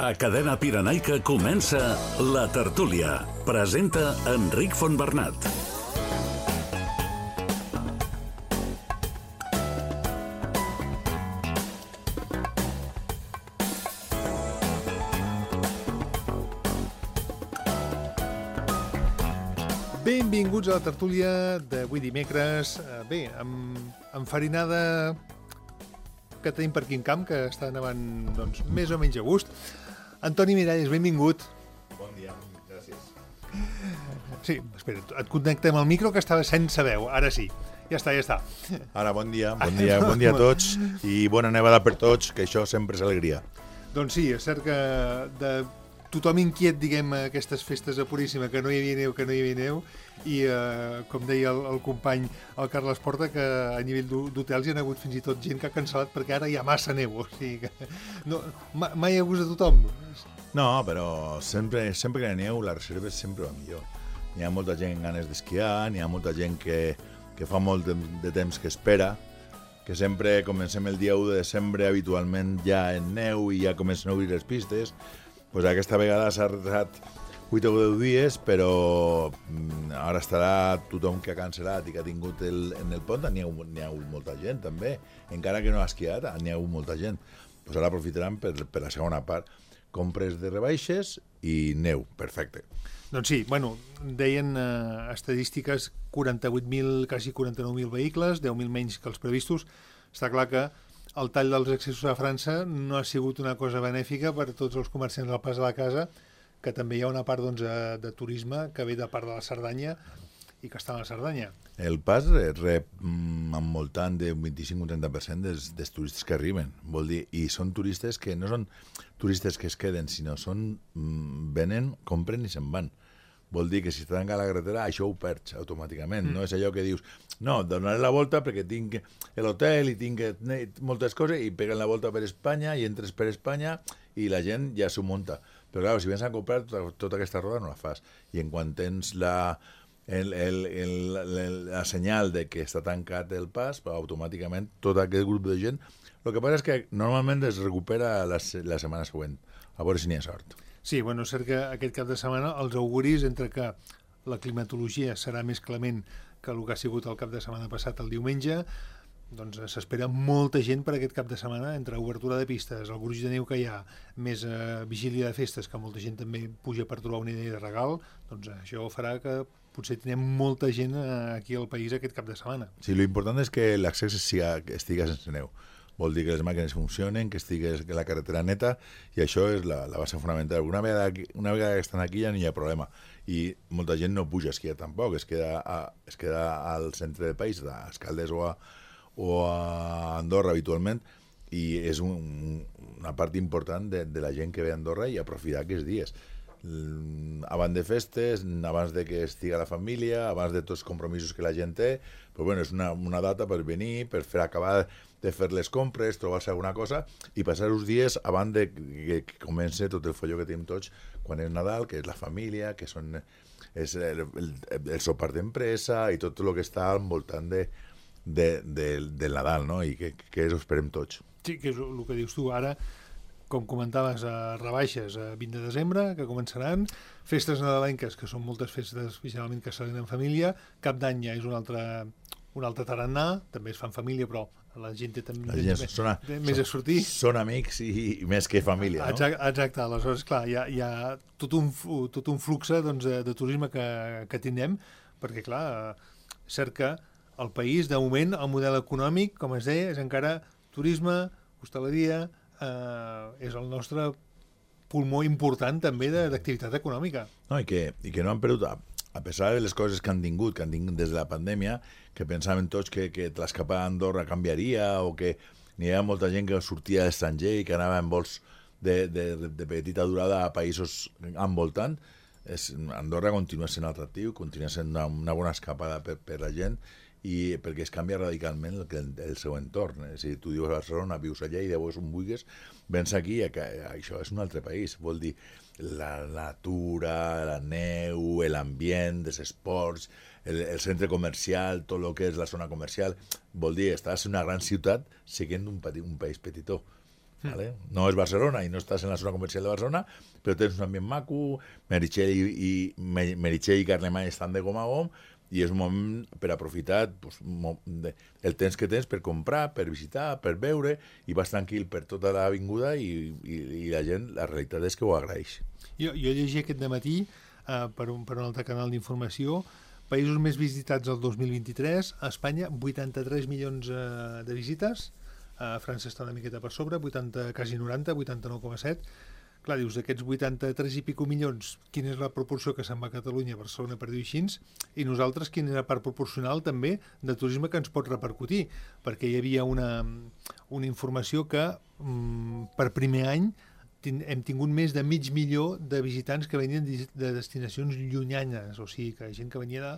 A Cadena Pirenaica comença La Tertúlia. Presenta Enric Fontbernat. Benvinguts a la tertúlia d'avui dimecres. Bé, amb enfarinada que tenim per aquí en camp, que està nevant doncs, més o menys a gust. Antoni Miralles, benvingut. Bon dia, gràcies. Sí, espera, et connectem al micro que estava sense veu, ara sí. Ja està. Ara, bon dia a tots i bona nevada per tots, que això sempre és alegria. Doncs sí, és cert que de tothom inquiet, diguem, aquestes festes a Puríssima, que no hi havia neu, i com deia el company, el Carles Porta, que a nivell d'hotels hi ha hagut fins i tot gent que ha cancel·lat perquè ara hi ha massa neu, o sigui que no, mai a gust de tothom. No, però sempre que hi ha neu, la reserva és sempre la millor. Hi ha molta gent amb ganes d'esquiar, hi ha molta gent que fa molt de temps que espera, que sempre comencem el dia 1 de desembre habitualment ja en neu i ja comencen a obrir les pistes. Pues aquesta vegada s'ha retrasat 8 o 10 dies, però ara estarà tothom que ha cancel·lat i que ha tingut en el pont, n'hi ha hagut molta gent també, encara que no ha esquiat, n'hi ha hagut molta gent. Pues ara aprofitaran per la segona part, compres de rebaixes i neu, perfecte. Doncs sí, bueno, deien estadístiques 48.000, quasi 49.000 vehicles, 10.000 menys que els previstos. Està clar que el tall dels accessos a França no ha sigut una cosa benèfica per a tots els comerciants del Pas de la Casa, que també hi ha una part doncs, de turisme que ve de part de la Cerdanya i que està a la Cerdanya. El Pas rep envoltant d'un 25-30% dels turistes que arriben, vol dir, i són turistes que no són turistes que es queden, sinó venen, compren i se'n van. Vol dir que si està tancada la carretera, això ho perds automàticament. No és allò que dius, no, donaré la volta perquè tinc l'hotel i tinc moltes coses i peguen la volta per Espanya i entres per Espanya i la gent ja s'ho munta. Però clar, si vens a comprar tota aquesta roda no la fas. I en quan tens la senyal de que està tancat el pas, automàticament tot aquest grup de gent, el que passa és que normalment es recupera la setmana següent, a veure si n'hi ha sort. Sí, bueno, és cert que aquest cap de setmana els auguris entre que la climatologia serà més clement que el que ha sigut el cap de setmana passat el diumenge, doncs s'espera molta gent per aquest cap de setmana, entre obertura de pistes, el gruix de neu que hi ha, més vigília de festes, que molta gent també puja per trobar una idea de regal, doncs això farà que potser tinguem molta gent aquí al país aquest cap de setmana. Sí, l'important és que l'accés estigui sense neu. Vol dir que les màquines funcionen, que estigui la carretera neta, i això és la base fonamental. Una vegada que estan aquí ja no hi ha problema. I molta gent no puja a esquiar tampoc, es queda al centre del país, a Escaldes o a Andorra habitualment, i és una part important de la gent que ve a Andorra i aprofitar aquests dies. Abans de festes, abans de que estigui la família, abans de tots els compromisos que la gent té, però bueno, és una data per venir, per acabar de fer les compres, trobar-se alguna cosa i passar uns dies abans de que comenci tot el folló que tenim tots quan és Nadal, que és la família, que és el sopar d'empresa i tot el que està al voltant del Nadal, no? I que ho esperem tots. Sí, que és el que dius tu ara. Com comentaves, rebaixes a 20 de desembre, que començaran, festes nadalenques, que són moltes festes, especialment que se en família, Cap d'Any ja és un altre tarannà, també es fa en família, però la gent té també més a sortir. Són amics i més que família, no? Exacte, aleshores, clar, hi ha tot un flux doncs, de turisme que tindrem, perquè, clar, és cert que el país, de moment, el model econòmic, com es deia, és encara turisme, hostaleria, és el nostre pulmó important també d'activitat econòmica. No, i que no han perdut, a pesar de les coses que han tingut des de la pandèmia, que pensaven tots que l'escapada a Andorra canviaria o que n'hi havia molta gent que sortia de l'estranger i que anava en vols de petita durada a països envoltant, Andorra continua sent atractiu, continua sent una bona escapada per la gent, i perquè es canvia radicalment el seu entorn. Si tu dius a Barcelona, vius a Lleida, veus on vulguis, vens aquí, això és un altre país. Vol dir la natura, la neu, l'ambient, els esports, el centre comercial, tot el que és la zona comercial. Vol dir, estàs en una gran ciutat seguint un país petitó. ¿vale? No és Barcelona i no estàs en la zona comercial de Barcelona, però tens un ambient maco, Meritxell i Carlemany estan de gom a gom, i és un moment per aprofitar el temps que tens per comprar, per visitar, per veure, i vas tranquil per tota l'avinguda i la gent, la realitat és que ho agraeix. Jo llegia aquest dematí per un altre canal d'informació, països més visitats el 2023, a Espanya 83 milions de visites, a França està una miqueta per sobre, 80, quasi 90, 89,7. Clar, dius, d'aquests 83 i pico milions, quina és la proporció que se'n va a Catalunya, a Barcelona, per dir-ho així, i nosaltres quina és la part proporcional també de turisme que ens pot repercutir, perquè hi havia una informació que per primer any hem tingut més de 500.000 de visitants que venien de destinacions llunyanes, o sigui que gent que venia de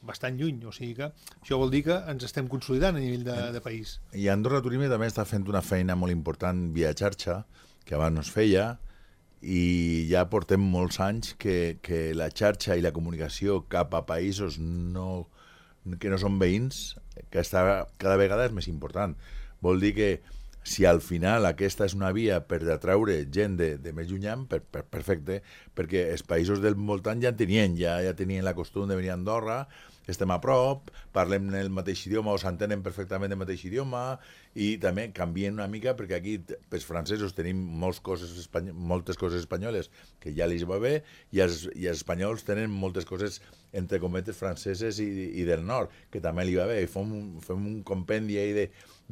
bastant lluny, o sigui que això vol dir que ens estem consolidant a nivell de país. I Andorra Turisme també està fent una feina molt important via xarxa, que abans no es feia, i ja portem molts anys que la xarxa i la comunicació cap a països que no són veïns, que cada vegada és més important. Vol dir que si al final aquesta és una via per atraure gent de més llunyà, perfecte, perquè els països del voltant ja tenien la costum de venir a Andorra, estem a prop, parlem el mateix idioma o s'entenen perfectament el mateix idioma, i també canvien una mica perquè aquí els francesos tenim moltes coses espanyoles que ja els va bé, i els espanyols tenen moltes coses entre cometes franceses i del nord, que també li va bé, i fem un compendi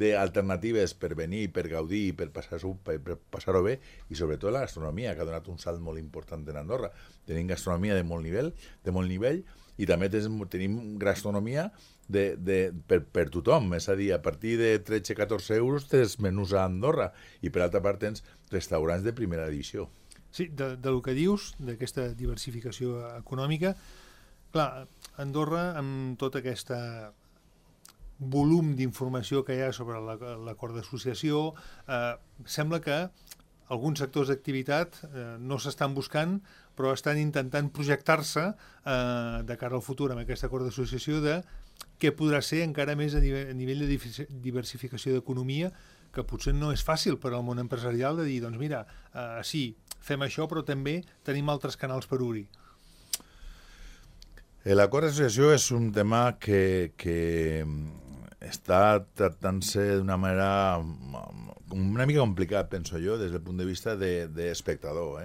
d'alternatives per venir, per gaudir, per passar-ho bé, i sobretot la gastronomia, que ha donat un salt molt important en Andorra. Tenim gastronomia de molt nivell, i també tenim gastronomia per tothom, és a dir, a partir de 13-14 euros tens menús a Andorra, i per altra part tens restaurants de primera divisió. Sí, del que dius, d'aquesta diversificació econòmica, clar, Andorra, amb tot aquest volum d'informació que hi ha sobre l'acord d'associació, sembla que alguns sectors d'activitat no s'estan buscant, però estan intentant projectar-se de cara al futur amb aquest acord d'associació de què podrà ser encara més a nivell de diversificació d'economia, que potser no és fàcil per al món empresarial de dir, doncs mira, sí, fem això, però també tenim altres canals per obrir. L'acord d'associació és un tema que està tractant-se d'una manera una mica complicat, penso jo, des del punt de vista d'espectador.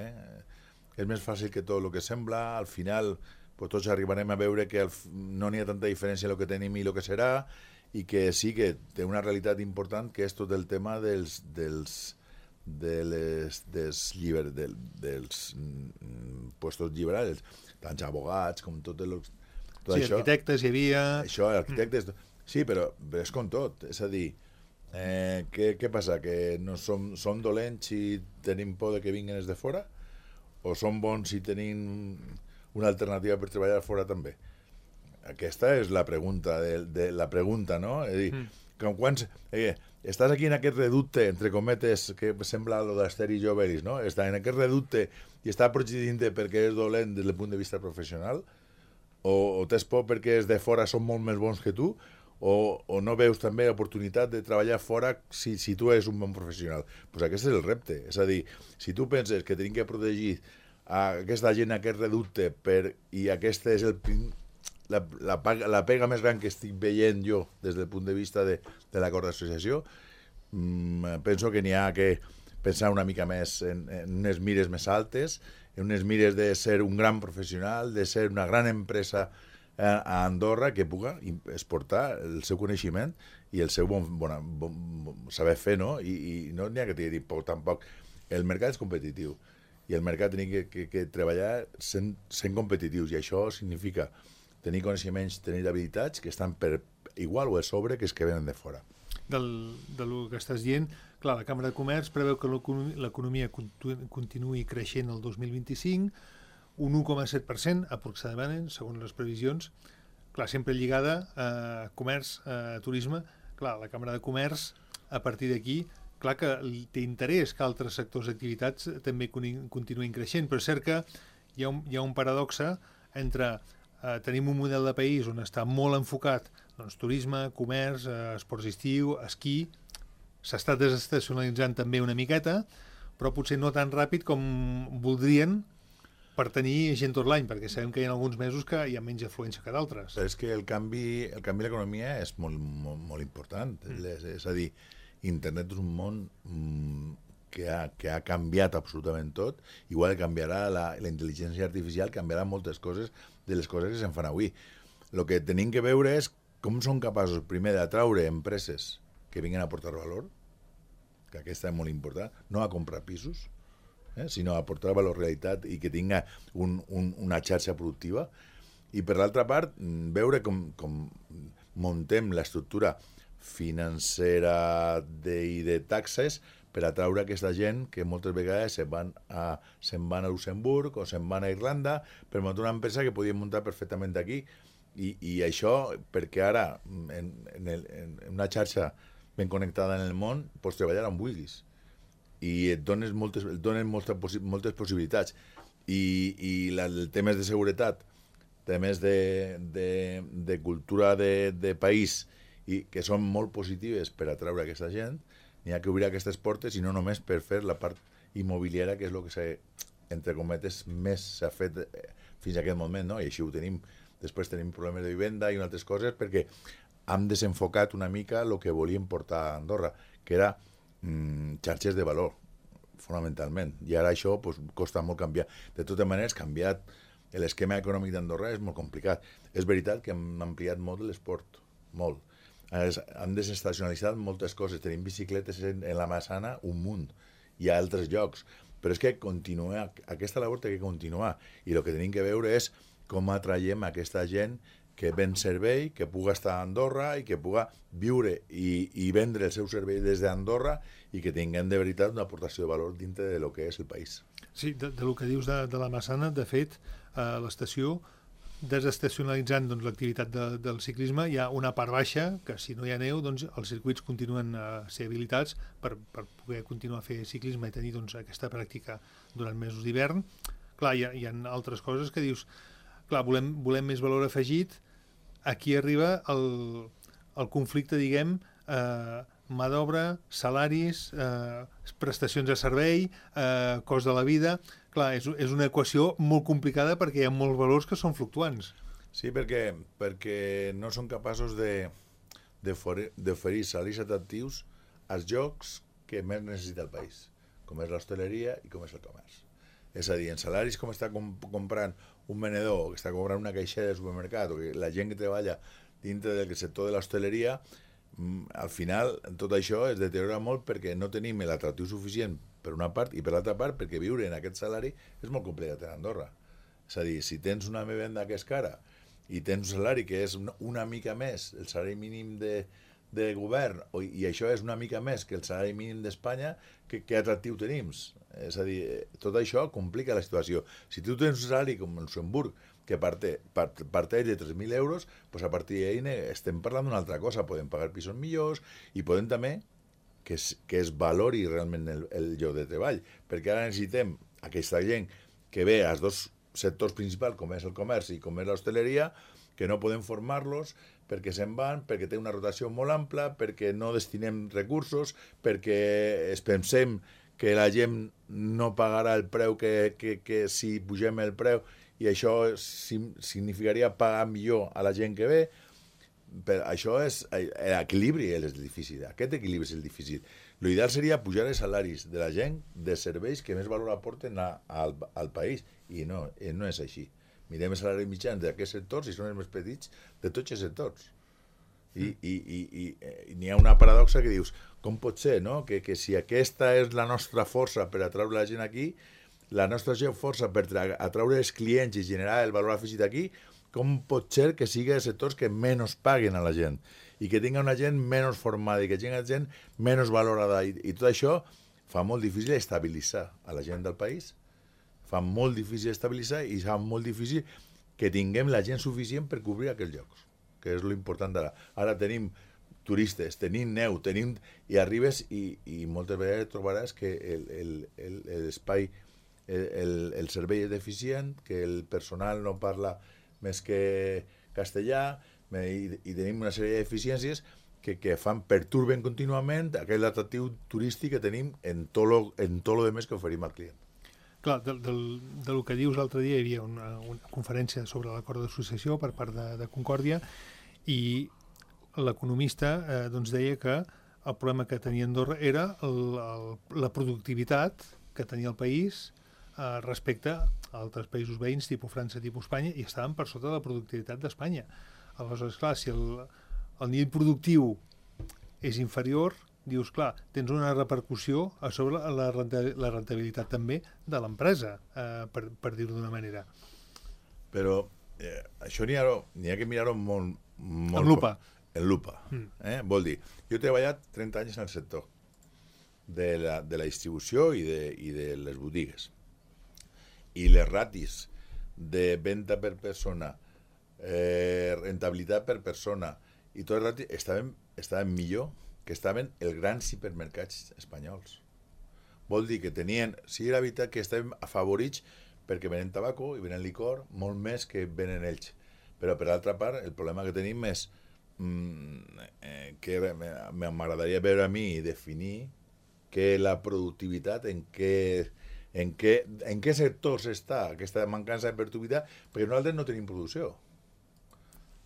És més fàcil que tot el que sembla, al final tots arribarem a veure que no n'hi ha tanta diferència en el que tenim i el que serà, i que sí que té una realitat important, que és tot el tema dels puestos lliberals, tant abogats com tot això. Arquitectes hi havia... Això, arquitectes... Sí, però és com tot, és a dir, què passa, que no som dolents si tenim por de que vinguin els de fora? O som bons si tenim una alternativa per treballar fora també? Aquesta és la pregunta, no? És a dir, quan estàs aquí en aquest reducte, entre cometes, que sembla el d'Asteri i Jovelis, no? Està en aquest reducte i està protegint-te perquè és dolent des del punt de vista professional, o tens por perquè els de fora són molt més bons que tu, o no veus també l'oportunitat de treballar fora si tu eres un bon professional. Doncs aquest és el repte. És a dir, si tu penses que tenim que protegir aquesta gent, aquest reducte, i aquesta és la pega més gran que estic veient jo des del punt de vista de l'acord d'associació, penso que n'hi ha que pensar una mica més en unes mires més altes, en unes mires de ser un gran professional, de ser una gran empresa a Andorra que pugui exportar el seu coneixement i el seu bon saber fer, no? I no n'hi ha que dir poc tampoc. El mercat és competitiu i el mercat tenim que treballar sent competitius, i això significa tenir coneixements, tenir habilitats que estan per igual o a sobre que els que venen de fora. Del que estàs dient, clar, la Càmera de Comerç preveu que l'economia continuï creixent el 2025, un 1,7% aproximadament, segons les previsions, clar, sempre lligada a comerç, a turisme. Clar, la Càmera de Comerç, a partir d'aquí, clar que té interès que altres sectors d'activitats també continuïn creixent, però és cert que hi ha un paradoxe entre tenim un model de país on està molt enfocat turisme, comerç, esports d'estiu, esquí, s'està desestacionalitzant també una miqueta, però potser no tan ràpid com voldrien per tenir gent tot l'any, perquè sabem que hi ha alguns mesos que hi ha menys afluència que d'altres. Però és que el canvi de l'economia és molt important. És a dir, internet és un món que ha canviat absolutament tot. Igual canviarà la intel·ligència artificial, canviarà moltes coses de les coses que se'n fan avui. El que tenim que veure és com són capaços, primer, d'atraure empreses que vinguin a aportar valor, que aquesta és molt important, no a comprar pisos, sinó a aportar valor realitat i que tinga una xarxa productiva. I, per l'altra part, veure com muntem l'estructura financera i de taxes per atraure aquesta gent que moltes vegades se'n van a Luxemburg o se'n van a Irlanda per muntar una empresa que podien muntar perfectament aquí. I això, perquè ara, en una xarxa ben connectada en el món, pots treballar on vulguis. I et donen moltes possibilitats. I els temes de seguretat, temes de cultura de país, i que són molt positives per atraure aquesta gent, n'hi ha que obrir aquestes portes i no només per fer la part immobiliària, que és el que entre cometes més s'ha fet fins a aquest moment, no? I així ho tenim. Després tenim problemes de vivenda i altres coses perquè hem desenfocat una mica el que volíem portar a Andorra, que era xarxes de valor, fonamentalment. I ara això costa molt canviar. De totes maneres, canviat l'esquema econòmic d'Andorra és molt complicat. És veritat que hem ampliat molt l'esport, molt. Han desestacionalitzat moltes coses. Tenim bicicletes en la Massana un munt. Hi ha altres llocs. Però és que aquesta labor té que continuar. I el que tenim que veure és com atraiem aquesta gent que ven servei, que puga estar a Andorra i que puga viure i vendre el seu servei des d'Andorra i que tinguem de veritat una aportació de valor dintre de lo que és el país. Sí, de lo que dius de la Massana, de fet, a l'estació, desestacionalitzant l'activitat del ciclisme, hi ha una part baixa que si no hi ha neu, doncs els circuits continuen a ser habilitats per poder continuar a fer ciclisme i tenir aquesta pràctica durant mesos d'hivern. Clar, hi ha altres coses que dius, clar, volem més valor afegit. Aquí arriba el conflicte, diguem, mà d'obra, salaris, prestacions de servei, cost de la vida. Clar, és una equació molt complicada perquè hi ha molts valors que són fluctuants. Sí, perquè no són capaços d'oferir salaris atractius als llocs que més necessita el país, com és l'hostaleria i com és el comerç. És a dir, en salaris com està comprant un venedor, que està comprant una caixera de supermercat, o que la gent que treballa dintre del sector de l'hostaleria, al final tot això es deteriora molt perquè no tenim l'atractiu suficient per una part i per l'altra part perquè viure en aquest salari és molt complicat a Andorra. És a dir, si tens una vivenda que és cara i tens un salari que és una mica més el salari mínim de govern i això és una mica més que el salari mínim d'Espanya, que atractiu tenim? És a dir, tot això complica la situació. Si tu tens un salari com el Luxemburg que parteix de 3.000 euros, doncs a partir d'ahir estem parlant d'una altra cosa. Podem pagar pisos millors i podem també que es valori realment el lloc de treball, perquè ara necessitem aquesta gent que ve als dos sectors principals, com és el comerç i com és l'hostaleria, que no podem formar-los perquè se'n van, perquè té una rotació molt ampla, perquè no destinem recursos, perquè es pensem que la gent no pagarà el preu que si pugem el preu, i això significaria pagar millor a la gent que ve. Però això és l'equilibri, és difícil. Aquest equilibri és el difícil. L'ideal seria pujar els salaris de la gent de serveis que més valor aporten al país, i no és així. Mirem els salaris mitjans d'aquests sectors i són els més petits de tots els sectors. I n'hi ha una paradoxa que dius, com pot ser, no? Que si aquesta és la nostra força per atraure la gent aquí, la nostra força per atraure els clients i generar el valor afegit aquí, com pot ser que sigui els sectors que menys paguen a la gent i que tinga una gent menys formada i que tinga gent menys valorada, i tot això fa molt difícil estabilitzar a la gent del país, fa molt difícil estabilitzar i fa molt difícil que tinguem la gent suficient per cobrir aquests llocs, que és l'important d'ara. Ara tenim turistes, tenim neu, i arribes i moltes vegades trobaràs que l'espai, el servei és deficient, que el personal no parla més que castellà, i tenim una sèrie d'eficiències que perturben contínuament aquell atractiu turístic que tenim en tot lo demés que oferim al client. Clar, del que dius l'altre dia hi havia una conferència sobre l'acord d'associació per part de Concòrdia i l'economista doncs deia que el problema que tenia Andorra era la productivitat que tenia el país respecte a altres països veïns, tipus França, tipus Espanya, i estaven per sota de la productivitat d'Espanya. Aleshores, clar, si el nivell productiu és inferior, dius, clar, tens una repercussió a sobre la rentabilitat també de l'empresa, per dir-ho d'una manera. Però això n'hi ha que mirar-ho molt... En lupa. En lupa. Vol dir, jo he treballat 30 anys en el sector de la distribució i de les botigues. I les ratis de venda per persona, rentabilitat per persona, i tot el ratis estaven millor que estaven els grans hipermercats espanyols. Vol dir que tenien, sí, era veritat que estàvem afavorits perquè venen tabaco i venen licor molt més que venen ells. Però per altra part, el problema que tenim és que m'agradaria veure a mi i definir que la productivitat en què sectors està aquesta mancança de productivitat, perquè nosaltres no tenim producció.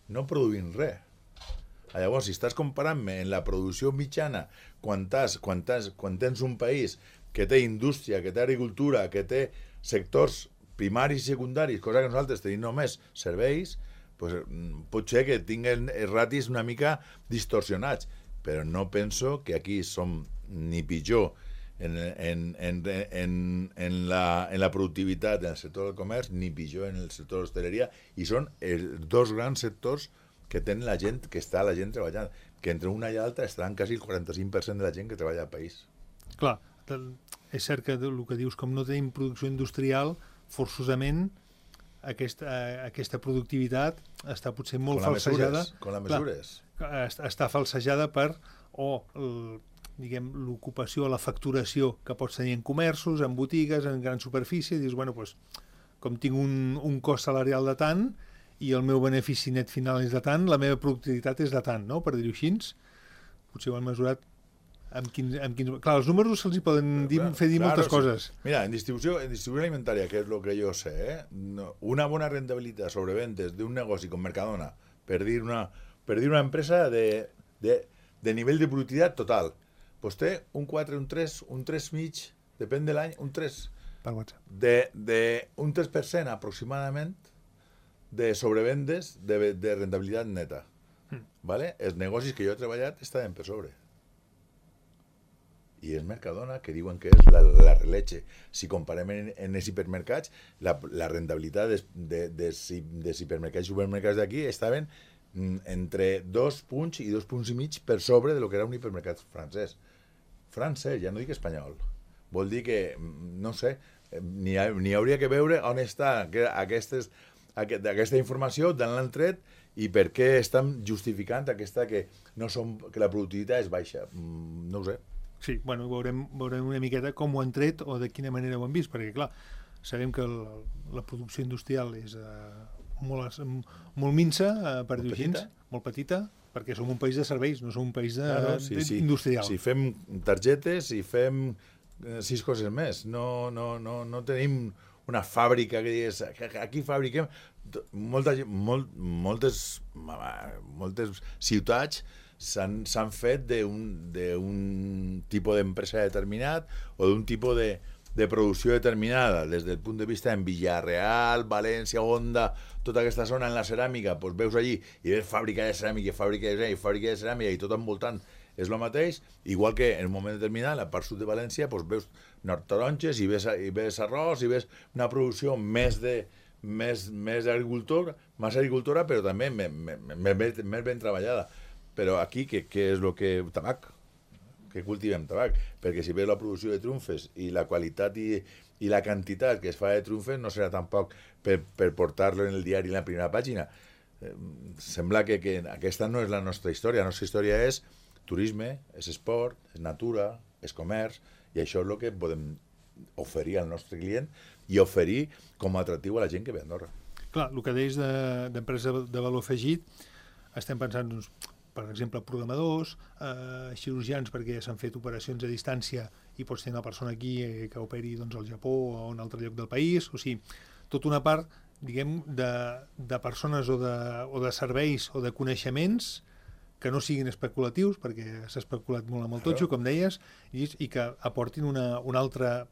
No produïm res. Llavors, si estàs comparant-me en la producció mitjana quan tens un país que té indústria, que té agricultura, que té sectors primaris i secundaris, cosa que nosaltres tenim només serveis, pues, pot ser que tinguen ratis una mica distorsionats, però no penso que aquí som ni pitjor en la productivitat en el sector del comerç, ni pitjor en el sector de l'hostaleria, i són els dos grans sectors que tenen la gent, que està la gent treballant, que entre una i l'altra estaran quasi el 45% de la gent que treballa al país. Clar, és cert que el que dius, com no tenim producció industrial, forçosament aquesta productivitat està potser molt falsejada. Con les mesures. Està falsejada per l'ocupació, la facturació que pots tenir en comerços, en botigues, en gran superfície, i dius, bueno, doncs, com tinc un cost salarial de tant i el meu benefici net final és de tant, la meva productivitat és de tant, no? Per dir-ho així. Potser ho han mesurat amb quins... Clar, els números se'ls hi poden fer dir moltes coses. Mira, en distribució alimentària, que és el que jo sé, una bona rentabilitat sobre vendes d'un negoci com Mercadona, per dir una empresa de nivell de productivitat total, doncs té un 4, un 3, un 3,5, depèn de l'any, un 3. Per WhatsApp. Un 3% aproximadament de sobrevendes de rentabilitat neta. ¿Vale? Els negocis que jo he treballat estaven per sobre. I és Mercadona, que diuen que és la releche. Si comparem en els hipermercats, la rentabilitat dels hipermercats i supermercats d'aquí estaven entre 2 punts i 2 punts i mig per sobre de lo que era un hipermercat francès. Francès, ja no dic espanyol. Vol dir que, no sé, n'hi hauria que veure on està aquesta informació, d'on l'han tret i per què estan justificant que la productivitat és baixa. No ho sé. Sí, bueno, veurem una miqueta com ho han tret o de quina manera ho han vist, perquè, clar, sabem que la producció industrial és molt minsa, per dir-ho així, molt petita, perquè som un país de serveis, no som un país industrial. Si fem targetes i fem 6 coses més, no tenim una fàbrica que digués, aquí fabriquem... Moltes ciutats s'han fet d'un tipus d'empresa determinat o d'un tipus de producció determinada, des del punt de vista en Villarreal, València, Onda, tota aquesta zona en la ceràmica, doncs veus allí i veus fàbrica de ceràmica i tot envoltant és el mateix, igual que en un moment determinat, a la part sud de València, doncs veus nord-taronges i ves arròs i ves una producció més agricultora, però també més ben treballada. Però aquí, què és el que... Tabac. Que cultivem tabac. Perquè si veus la producció de trumfes i la qualitat i la quantitat que es fa de trumfes, no serà tampoc per portar-lo en el diari en la primera pàgina. Sembla que aquesta no és la nostra història. La nostra història és turisme, és esport, és natura, és comerç, i això és el que podem oferir al nostre client i oferir com a atractiu a la gent que ve a Andorra. Clar, el que deies d'empresa de valor afegit, estem pensant, doncs, per exemple, programadors, cirurgians perquè s'han fet operacions a distància i pots tenir una persona aquí que operi doncs, al Japó o a un altre lloc del país, o sigui, tota una part, diguem, de persones o de serveis o de coneixements que no siguin especulatius, perquè s'ha especulat molt amb el totxo, com deies, i que aportin un altre,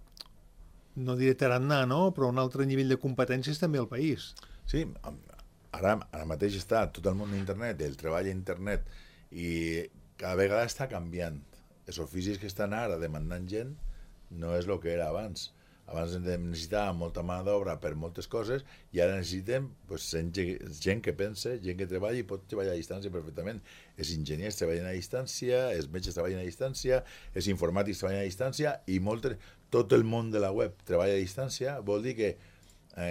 no diré tarannà, no? Però un altre nivell de competències també al país. Sí, ara mateix està tot el món d'internet, el treball a internet, i cada vegada està canviant. Els oficis que estan ara demandant gent no és el que era abans. Abans necessitàvem molta mà d'obra per moltes coses i ara necessitem pues, gent que pense, gent que treballa i pot treballar a distància perfectament. Els enginyers treballen a distància, els metges treballen a distància, els informàtics treballen a distància i tot el món de la web treballa a distància. Vol dir que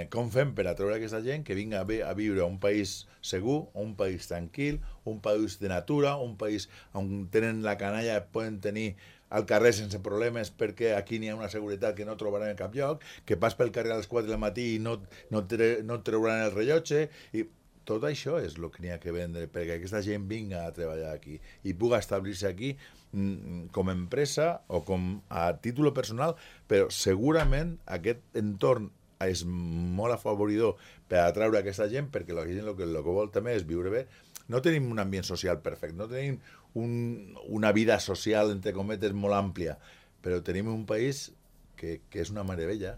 com fem per atreure aquesta gent que vinga a viure a un país segur, un país tranquil, un país de natura, un país on tenen la canalla, poden tenir al carrer sense problemes perquè aquí n'hi ha una seguretat que no trobaran en cap lloc, que pas pel carrer a les 4 del matí i no treuran el rellotge, i tot això és el que n'hi ha que vendre perquè aquesta gent vinga a treballar aquí i pugui establir-se aquí com a empresa o com a títol personal, però segurament aquest entorn és molt afavoridor per atraure aquesta gent perquè la gent el que vol també és viure bé. No tenim un ambient social perfecte, no tenim una vida social, entre cometes, molt àmplia, però tenim un país que és una meravella,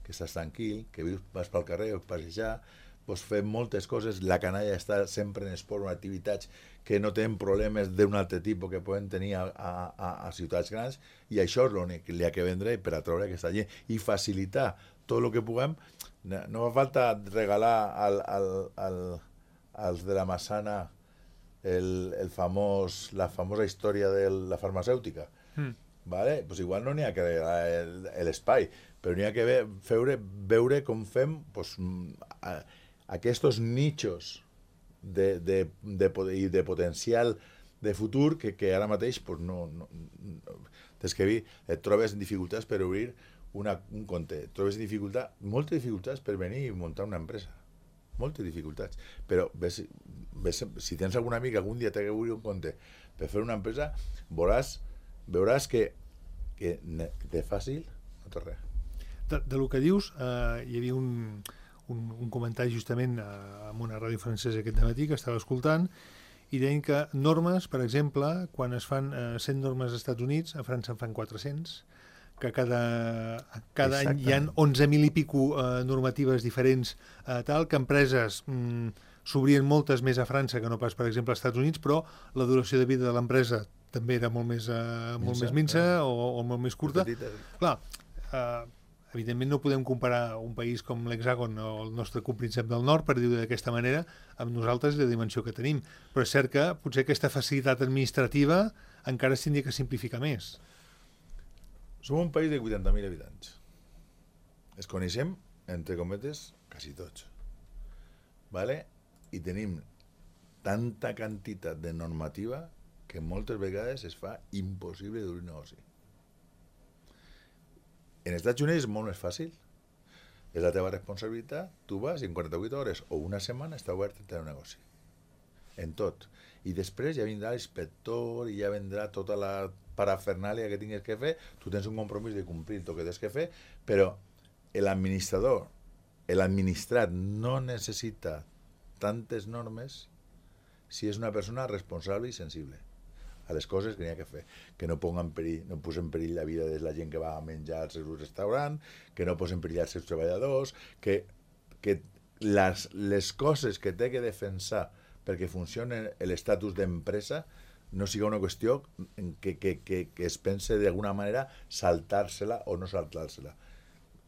que estàs tranquil, que vas pel carrer, vas passejar, pots fer moltes coses, la canalla està sempre en esport o en activitats que no tenen problemes d'un altre tipus que poden tenir a ciutats grans, i això és l'únic que li ha que vendre per atraure aquesta gent i facilitar tot el que puguem. No fa falta regalar als de la Massana la famosa història de la farmacèutica. Vale? Pues igual no n'hi ha que regalar l'espai, però n'hi ha que veure com fem pues, aquests nichos de potencial de futur que ara mateix pues, des que et trobes dificultats per obrir un compte, et trobes moltes dificultats per venir i muntar una empresa, moltes dificultats, però si tens algun amic algun dia t'ha d'obrir un compte per fer una empresa, veuràs que de fàcil no té res. Del que dius, hi havia un comentari justament en una ràdio francesa aquest dematí que estava escoltant i deien que normes, per exemple, quan es fan 100 normes als Estats Units, a França en fan 400, que cada any hi ha 11.000 i pico normatives diferents, tal, que empreses s'obrien moltes més a França que no pas, per exemple, als Estats Units, però la duració de vida de l'empresa també era molt més minsa o molt més curta. Clar, evidentment no podem comparar un país com l'Hexàgon o el nostre compríncep del nord, per dir-ho d'aquesta manera, amb nosaltres i la dimensió que tenim. Però és cert que potser aquesta facilitat administrativa encara es tindria que simplificar més. Som un país de 80.000 habitants. Es coneixem, entre cometes, quasi tots. ¿Vale? I tenim tanta quantitat de normativa que moltes vegades es fa impossible d'obrir negoci. En els Estats Units és molt més fàcil. És la teva responsabilitat, tu vas i en 48 hores o una setmana està obert el teu negoci. En tot. I després ja vindrà l'inspector i ja vendrà tota la parafernàlia que tinguis que fer, tu tens un compromís de complir el que tens que fer, però l'administrador, l'administrat no necessita tantes normes si és una persona responsable i sensible a les coses que n'hi ha que fer, que no posen en perill la vida de la gent que va a menjar al seu restaurant, que no posen en perill els seus treballadors, que les coses que té que defensar perquè funcioni l'estatus d'empresa no siga una qüestió que es pense d'alguna manera saltar-se-la o no saltar-se-la.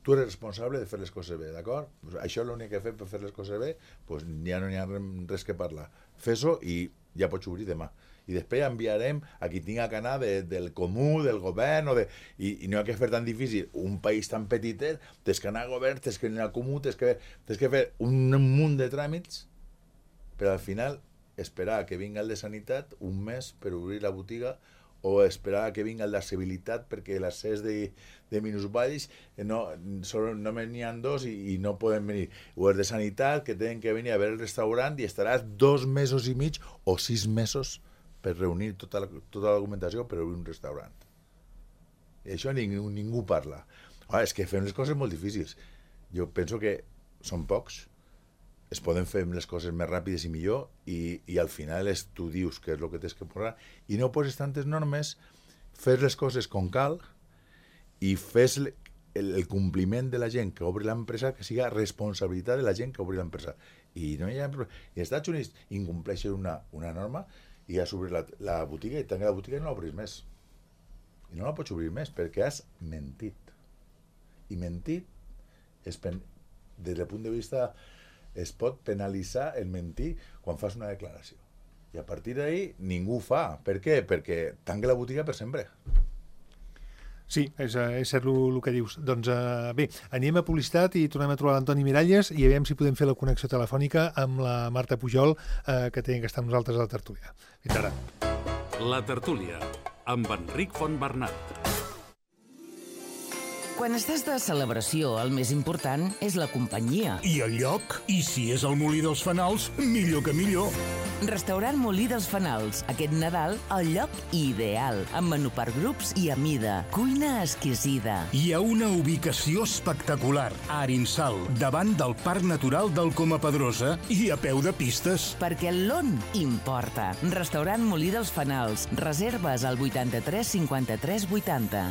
Tu eres responsable de fer les coses bé, d'acord? Pues això és l'únic que fem per fer les coses bé, pues ja no hi ha res que parlar. Fes-ho i ja pots obrir demà. I després enviarem a qui tinga que anar del comú, del govern, i no hi ha que fer tan difícil. Un país tan petitet, tens que anar al govern, tens que anar al comú, tens que fer un munt de tràmits, però al final esperar que vinga el de Sanitat un mes per obrir la botiga o esperar que vinga el d'accessibilitat perquè l'accés de minusvalls només n'hi ha dos i no poden venir. O els de Sanitat que tenen que venir a veure el restaurant i estaràs 2 mesos i mig o 6 mesos per reunir tota la documentació per obrir un restaurant. I això ningú parla. És que fem les coses molt difícils. Jo penso que són pocs, es poden fer les coses més ràpides i millor, i al final tu dius què és el que tens que posar, i no poses tantes normes, fes les coses com cal, i fes el compliment de la gent que obri l'empresa que siga responsabilitat de la gent que obri l'empresa. I no hi ha problema. I als Estats Units incompleixen una norma i has obrir la botiga i tanca la botiga i no l'obris més. I no la pots obrir més perquè has mentit. I mentit, des del punt de vista, es pot penalitzar el mentir quan fas una declaració. I a partir d'ahí ningú ho fa. Per què? Perquè tanca la botiga per sempre. Sí, és cert el que dius. Doncs bé, anem a publicitat i tornem a trobar l'Antoni Miralles i veiem si podem fer la connexió telefònica amb la Marta Pujol, que té que estar amb nosaltres a la tertúlia. Fins ara. La tertúlia, amb Enric Fontbernat. Quan estàs de celebració, el més important és la companyia. I el lloc? I si és el Molí dels Fanals, millor que millor. Restaurant Molí dels Fanals. Aquest Nadal, el lloc ideal. Amb menú per grups i a mida. Cuina exquisida. Hi ha una ubicació espectacular. A Arinsal, davant del Parc Natural del Coma Pedrosa i a peu de pistes. Perquè l'on importa. Restaurant Molí dels Fanals. Reserves al 83 53 80.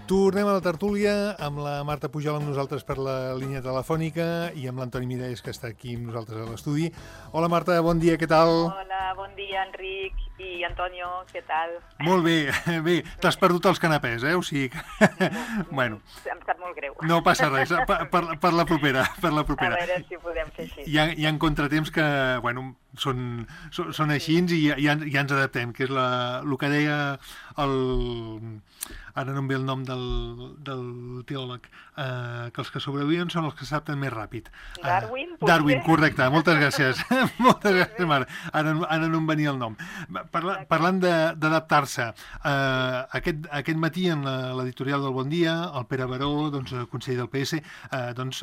Tornem a la tertúlia amb la Marta Pujol amb nosaltres per la línia telefònica i amb l'Antoni Miralles, que està aquí amb nosaltres a l'estudi. Hola Marta, bon dia, què tal? Hola, bon dia Enric i Antonio, què tal? Molt bé, bé, t'has perdut els canapès, O sigui que... Bueno, em sap molt greu. no passa res, per la propera, per la propera. A veure si ho podem fer així. Hi ha contratemps que, bueno, són així i ja ens adaptem, que és el que deia el... Ara no em ve el nom del teòleg, que els que sobreviuen són els que s'adapten més ràpid. Darwin, potser? Darwin, correcte, moltes gràcies. Moltes gràcies, Marta. Ara no em venia el nom. Parlant d'adaptar-se, aquest matí en l'editorial del Bon Dia, el Pere Baró, conseller del PS,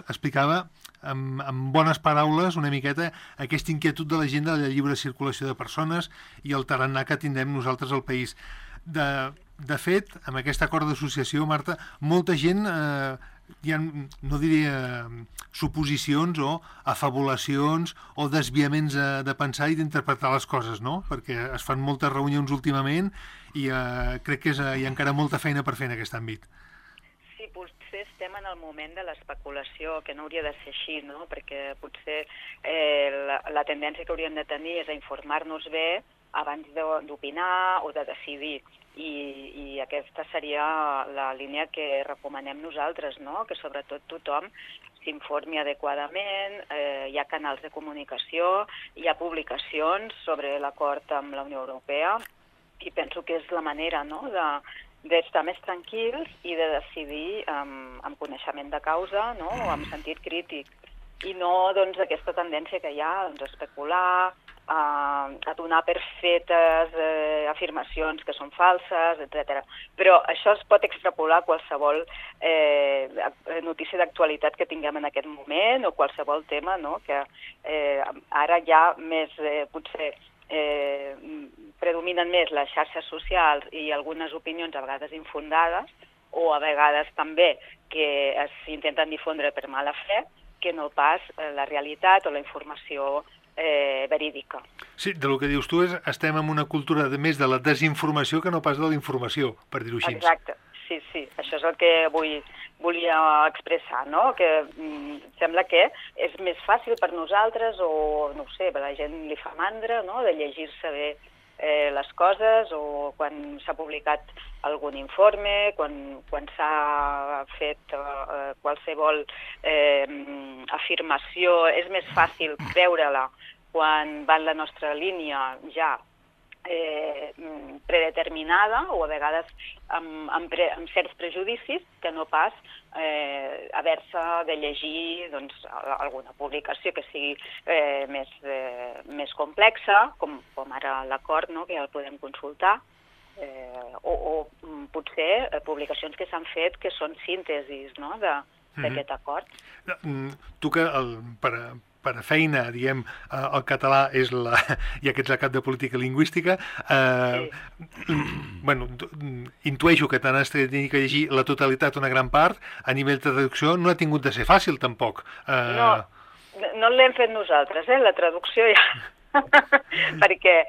explicava amb bones paraules una miqueta aquesta inquietud de la gent de la lliure circulació de persones i el tarannà que tindrem nosaltres al país. De fet, amb aquest acord d'associació, Marta, molta gent, hi ha, no diria suposicions o afabulacions o desviaments de pensar i d'interpretar les coses, no? Perquè es fan moltes reunions últimament i crec que hi ha encara molta feina per fer en aquest àmbit. Sí, potser estem en el moment de l'especulació, que no hauria de ser així, no? Perquè potser la tendència que hauríem de tenir és a informar-nos bé abans d'opinar o de decidir. I aquesta seria la línia que recomanem nosaltres, no? Que sobretot tothom s'informi adequadament, hi ha canals de comunicació, hi ha publicacions sobre l'acord amb la Unió Europea i penso que és la manera, no?, d'estar més tranquils i de decidir amb coneixement de causa, no?, o amb sentit crític, i no aquesta tendència que hi ha d'especular, a donar per fetes afirmacions que són falses, etc. Però això es pot extrapolar a qualsevol notícia d'actualitat que tinguem en aquest moment o qualsevol tema, no?, que ara ja més potser predominen més les xarxes socials i algunes opinions a vegades infundades o a vegades també que s'intenten difondre per mala fe, que no pas la realitat o la informació verídica. Sí, del que dius tu estem en una cultura més de la desinformació que no pas de la informació, per dir-ho així. Exacte, sí, això és el que volia expressar, no? Que sembla que és més fàcil per nosaltres o, no ho sé, a la gent li fa mandra, no?, de llegir-se bé les coses o quan s'ha publicat algun informe, quan s'ha fet qualsevol afirmació, és més fàcil veure-la quan va en la nostra línia ja predeterminada o a vegades amb certs prejudicis que no pas haver-se de llegir alguna publicació que sigui més complexa, com ara l'acord, que ja el podem consultar, o potser publicacions que s'han fet que són síntesis d'aquest acord. Tu que per a feina, diguem, el català és ja que ets el cap de política lingüística, bueno, intueixo que t'han de llegir la totalitat, una gran part, a nivell de traducció no ha tingut de ser fàcil, tampoc. No l'hem fet nosaltres, la traducció ja... perquè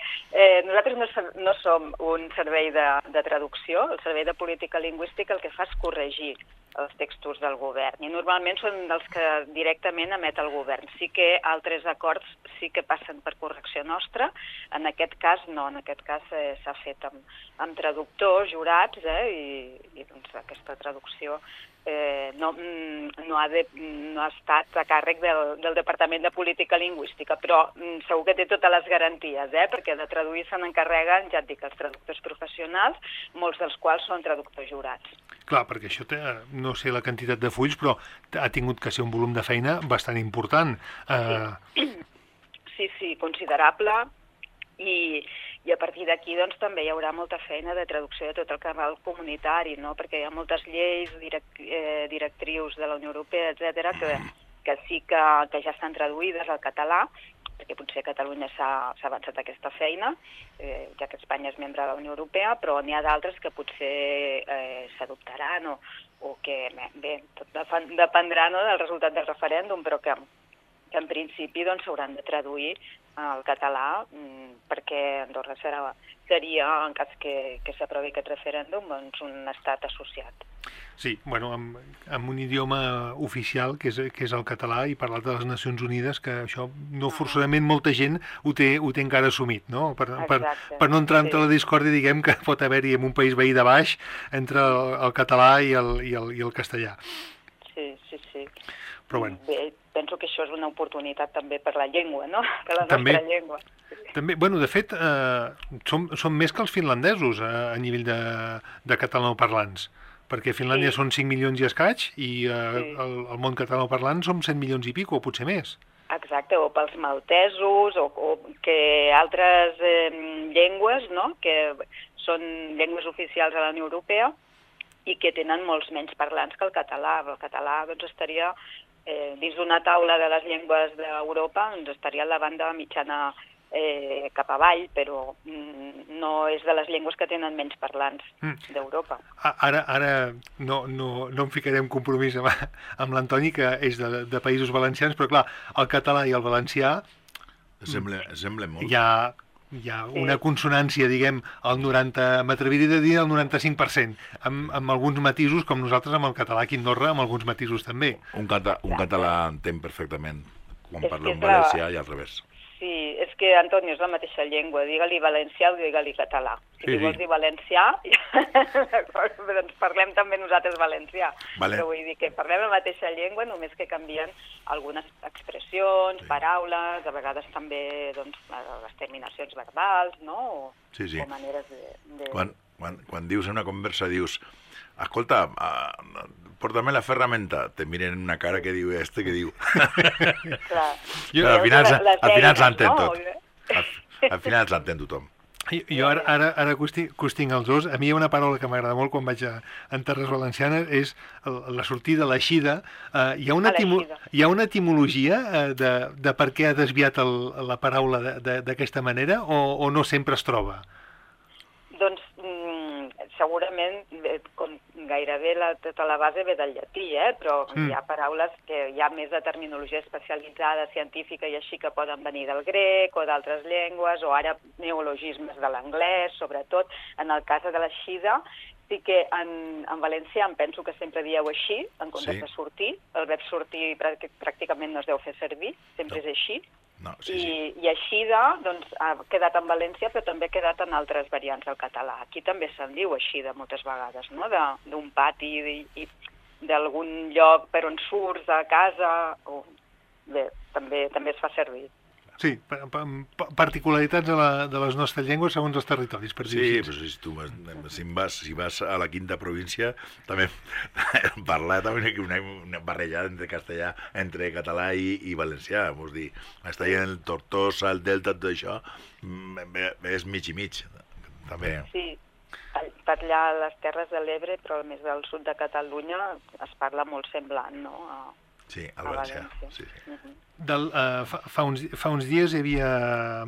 nosaltres no som un servei de traducció, el servei de política lingüística el que fa és corregir els textos del govern, i normalment són els que directament emet el govern. Sí que altres acords sí que passen per correcció nostra, en aquest cas no, en aquest cas s'ha fet amb traductors, jurats, i doncs aquesta traducció no ha estat a càrrec del Departament de Política Lingüística, però segur que té totes les garanties, perquè de traduir se n'encarreguen, ja et dic, els traductors professionals, molts dels quals són traductors jurats. Clar, perquè això té, no sé la quantitat de fulls, però ha tingut que ser un volum de feina bastant important. Sí, considerable, i a partir d'aquí doncs, també hi haurà molta feina de traducció de tot el cabal comunitari, perquè hi ha moltes lleis, directrius de la Unió Europea, etc., que sí que ja estan traduïdes al català, perquè potser a Catalunya s'ha avançat aquesta feina, ja que Espanya és membre de la Unió Europea, però n'hi ha d'altres que potser s'adoptaran o que, bé, tot dependrà del resultat del referèndum, però que en principi s'hauran de traduir al català, perquè Andorra seria, en cas que s'aprovi aquest referèndum, un estat associat. Sí, bueno, amb un idioma oficial, que és el català, i parlat de les Nacions Unides, que això no forçosament molta gent ho té encara assumit, no? Per no entrar entre la discòrdia, diguem, que pot haver-hi en un país veí de baix entre el català i el castellà. Sí. Però bueno. Bé, penso que això és una oportunitat també per la llengua, no? Per la nostra llengua. També, bueno, de fet, som més que els finlandesos a nivell de catalanoparlants, perquè a Finlàndia són 5 milions i escaig, i al món catalanoparlant som 100 milions i pico, o potser més. Exacte, o pels maltesos, o que altres llengües, no?, que són llengües oficials a la Unió Europea i que tenen molts menys parlants que el català. El català doncs, estaria dins d'una taula de les llengües d'Europa, estaria a la banda mitjana cap avall, però no és de les llengües que tenen menys parlants d'Europa. Ara no em ficaré en compromís amb l'Antoni, que és de Països Valencians, però clar, el català i el valencià semblen molt. Hi ha una consonància, diguem, m'atreviria a dir el 95%, amb alguns matisos, com nosaltres amb el català aquí a Andorra, amb alguns matisos també. Un català entén perfectament quan parla un valencià i al revés. Sí, és que, Antoni, és la mateixa llengua. Digue-li valencià o digue-li català. Si vols dir valencià, d'acord, doncs parlem també nosaltres valencià. Però vull dir que parlem la mateixa llengua, només que canvien algunes expressions, paraules, a vegades també les terminacions verbals, no? O maneres de... Quan dius en una conversa, dius, escolta, porta'm la ferramenta, te miren una cara que diu que diu. Clar. Al final s'entén tot. Al final s'entén tothom. Jo ara que us tinc els dos, a mi hi ha una paraula que m'agrada molt quan vaig a Terres Valencianes, és la sortida, l'eixida. Hi ha una etimologia de per què ha desviat la paraula d'aquesta manera, o no sempre es troba? Doncs segurament, com gairebé tota la base ve del llatí, però hi ha paraules que hi ha més de terminologia especialitzada, científica i així, que poden venir del grec o d'altres llengües, o ara neologismes de l'anglès, sobretot. En el cas de l'eixida, sí que en valencià em penso que sempre dieu així, en comptes de sortir. El verb sortir pràcticament no es deu fer servir, sempre és així. I eixida ha quedat en València, però també ha quedat en altres variants del català. Aquí també se'n diu eixida moltes vegades, no? D'un pati i d'algun lloc per on surts, a casa, bé, també es fa servir. Sí, particularitats de les nostres llengües segons els territoris, per dir-ho així. Sí, però si vas a la quinta província, també parlar també una barrejada entre castellà, entre català i valencià. Vull dir, està allà en el Tortosa, el Delta, tot això, és mig i mig, també. Sí, per allà a les Terres de l'Ebre, però més del sud de Catalunya, es parla molt semblant, no? Sí, al valencià. Sí. Fa uns dies hi havia,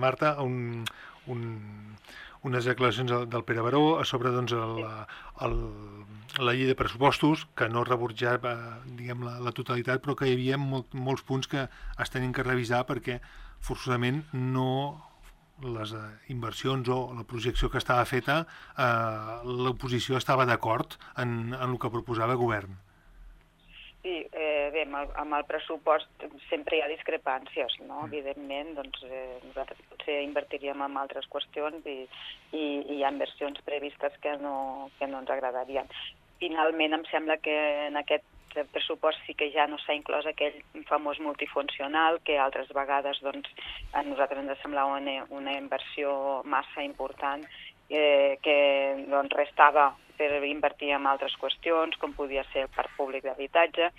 Marta, unes declaracions del Pere Baró a sobre la llei de pressupostos, que no rebutjava la totalitat, però que hi havia molts punts que es tenien que revisar perquè forçosament les inversions o la projecció que estava feta, l'oposició estava d'acord en el que proposava el govern. Sí, bé, amb el pressupost sempre hi ha discrepàncies, no? Evidentment, doncs nosaltres potser invertiríem en altres qüestions i hi ha inversions previstes que no ens agradarien. Finalment, em sembla que en aquest pressupost sí que ja no s'ha inclòs aquell famós multifuncional que altres vegades doncs, a nosaltres ens semblava una inversió massa important que doncs, restava per invertir en altres qüestions, com podia ser el parc públic d'habitatge,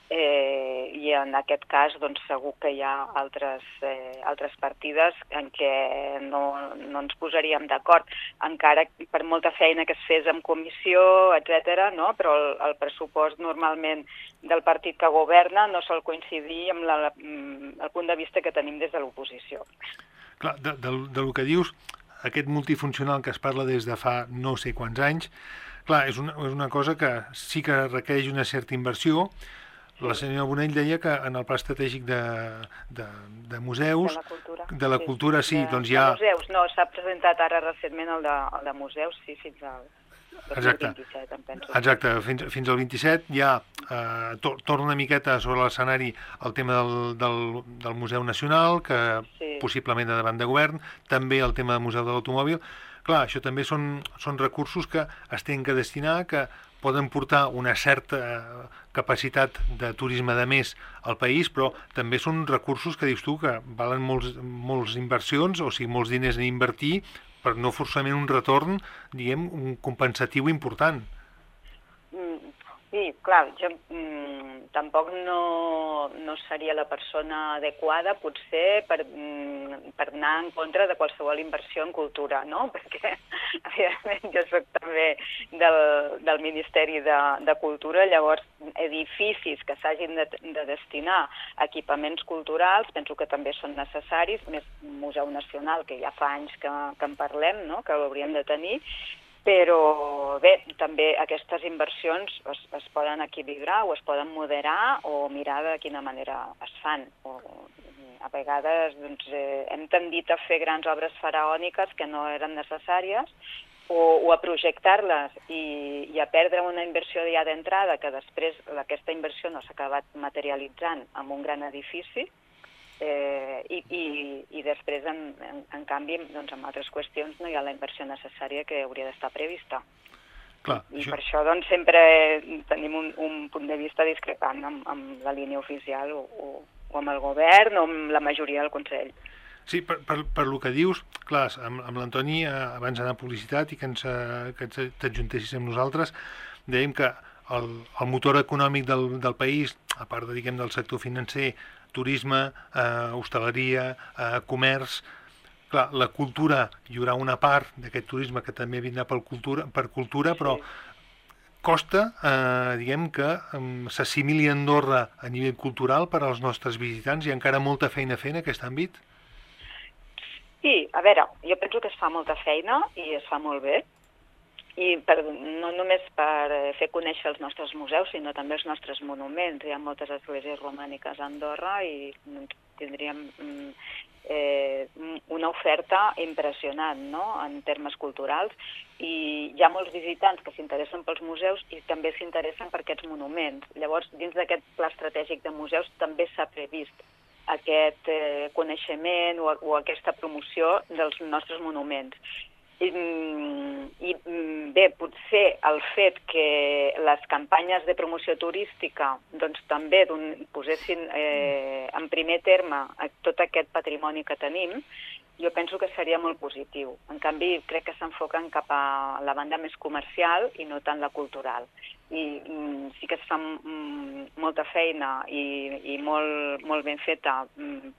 i en aquest cas doncs, segur que hi ha altres partides en què no ens posaríem d'acord, encara per molta feina que es fes en comissió, etc., no? Però el pressupost normalment del partit que governa no sol coincidir amb el punt de vista que tenim des de l'oposició. Clar, del que dius, aquest multifuncional que es parla des de fa no sé quants anys, clar, és una cosa que sí que requereix una certa inversió. La senyora Bonell deia que en el pla estratègic de museus... De la cultura, sí, doncs hi ha... De museus, no, s'ha presentat ara recentment el de museus, sí, fins al 2027, em penso. Exacte, fins al 27 ja torna una miqueta sobre l'escenari el tema del Museu Nacional, que possiblement de davant de govern, també el tema del Museu de l'Automòbil. Clar, això també són recursos que es tenen que destinar, que poden portar una certa capacitat de turisme de més al país, però també són recursos que dius tu que valen molts inversions, o sigui, molts diners a invertir, per no forçament un retorn, diguem, un compensatiu important. Sí, clar, jo tampoc no seria la persona adequada, potser, per anar en contra de qualsevol inversió en cultura, no? Perquè, evidentment, jo soc també del Ministeri de Cultura, llavors, edificis que s'hagin de destinar a equipaments culturals, penso que també són necessaris, més Museu Nacional, que ja fa anys que en parlem, no? Que l'hauríem de tenir, però bé, també aquestes inversions es poden equilibrar o es poden moderar o mirar de quina manera es fan. A vegades doncs, hem tendit a fer grans obres faraòniques que no eren necessàries o a projectar-les i a perdre una inversió ja d'entrada que després aquesta inversió no s'ha acabat materialitzant en un gran edifici. I després, en canvi, doncs, en altres qüestions no hi ha la inversió necessària que hauria d'estar prevista. Clar, per això doncs, sempre tenim un punt de vista discrepant amb la línia oficial o amb el govern o amb la majoria del Consell. Sí, per lo que dius, clar, amb l'Antoni, abans d'anar a publicitat i que t'adjuntessis amb nosaltres, dèiem que el motor econòmic del país, a part del sector financer, turisme, hostaleria, comerç, clar, la cultura, hi haurà una part d'aquest turisme que també vindrà per cultura, però costa, diguem que s'assimili Andorra a nivell cultural per als nostres visitants. Hi ha encara molta feina a fer en aquest àmbit? Sí, a veure, jo penso que es fa molta feina i es fa molt bé, i no només per fer conèixer els nostres museus, sinó també els nostres monuments. Hi ha moltes esglésies romàniques a Andorra i tindríem una oferta impressionant, no?, en termes culturals, i hi ha molts visitants que s'interessen pels museus i també s'interessen per aquests monuments. Llavors, dins d'aquest pla estratègic de museus també s'ha previst aquest coneixement o aquesta promoció dels nostres monuments. I bé, potser el fet que les campanyes de promoció turística doncs també posessin en primer terme tot aquest patrimoni que tenim, jo penso que seria molt positiu. En canvi, crec que s'enfoquen cap a la banda més comercial i no tant la cultural. I sí que es fa molta feina i molt ben feta,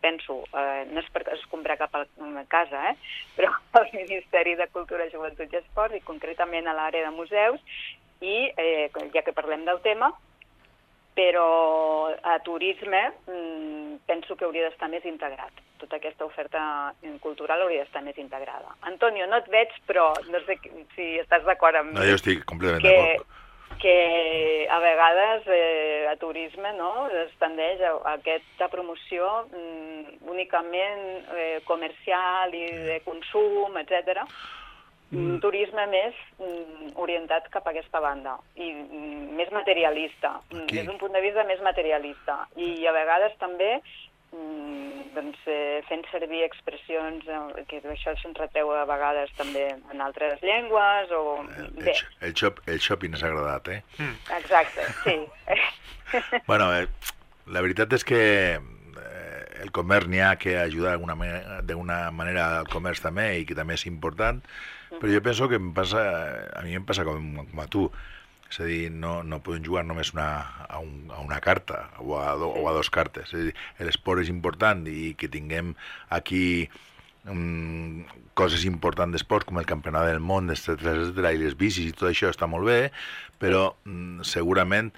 penso, no és per escombrar cap a casa, però al Ministeri de Cultura, Joventut i Esport, i concretament a l'àrea de museus, i ja que parlem del tema, però a turisme penso que hauria d'estar més integrat. Tota aquesta oferta cultural hauria d'estar més integrada. Antonio, no et veig, però no sé si estàs d'acord amb mi. No, jo estic completament d'acord. Que a vegades a turisme es tendeix a aquesta promoció únicament comercial i de consum, etc. Turisme més orientat cap a aquesta banda i més materialista, des d'un punt de vista més materialista, i a vegades també fent servir expressions que això se'ns reteu a vegades també en altres llengües o... El shopping has agradat, Exacte, sí. Bueno, la veritat és que el comerç n'hi ha que ajudar d'una manera al comerç també, i que també és important, però jo penso que a mi em passa com a tu. És a dir, no podem jugar només a una carta o a dos cartes. És a dir, l'esport és important i que tinguem aquí coses importants d'esport com el campionat del món, etcètera, i les bicis i tot això està molt bé, però segurament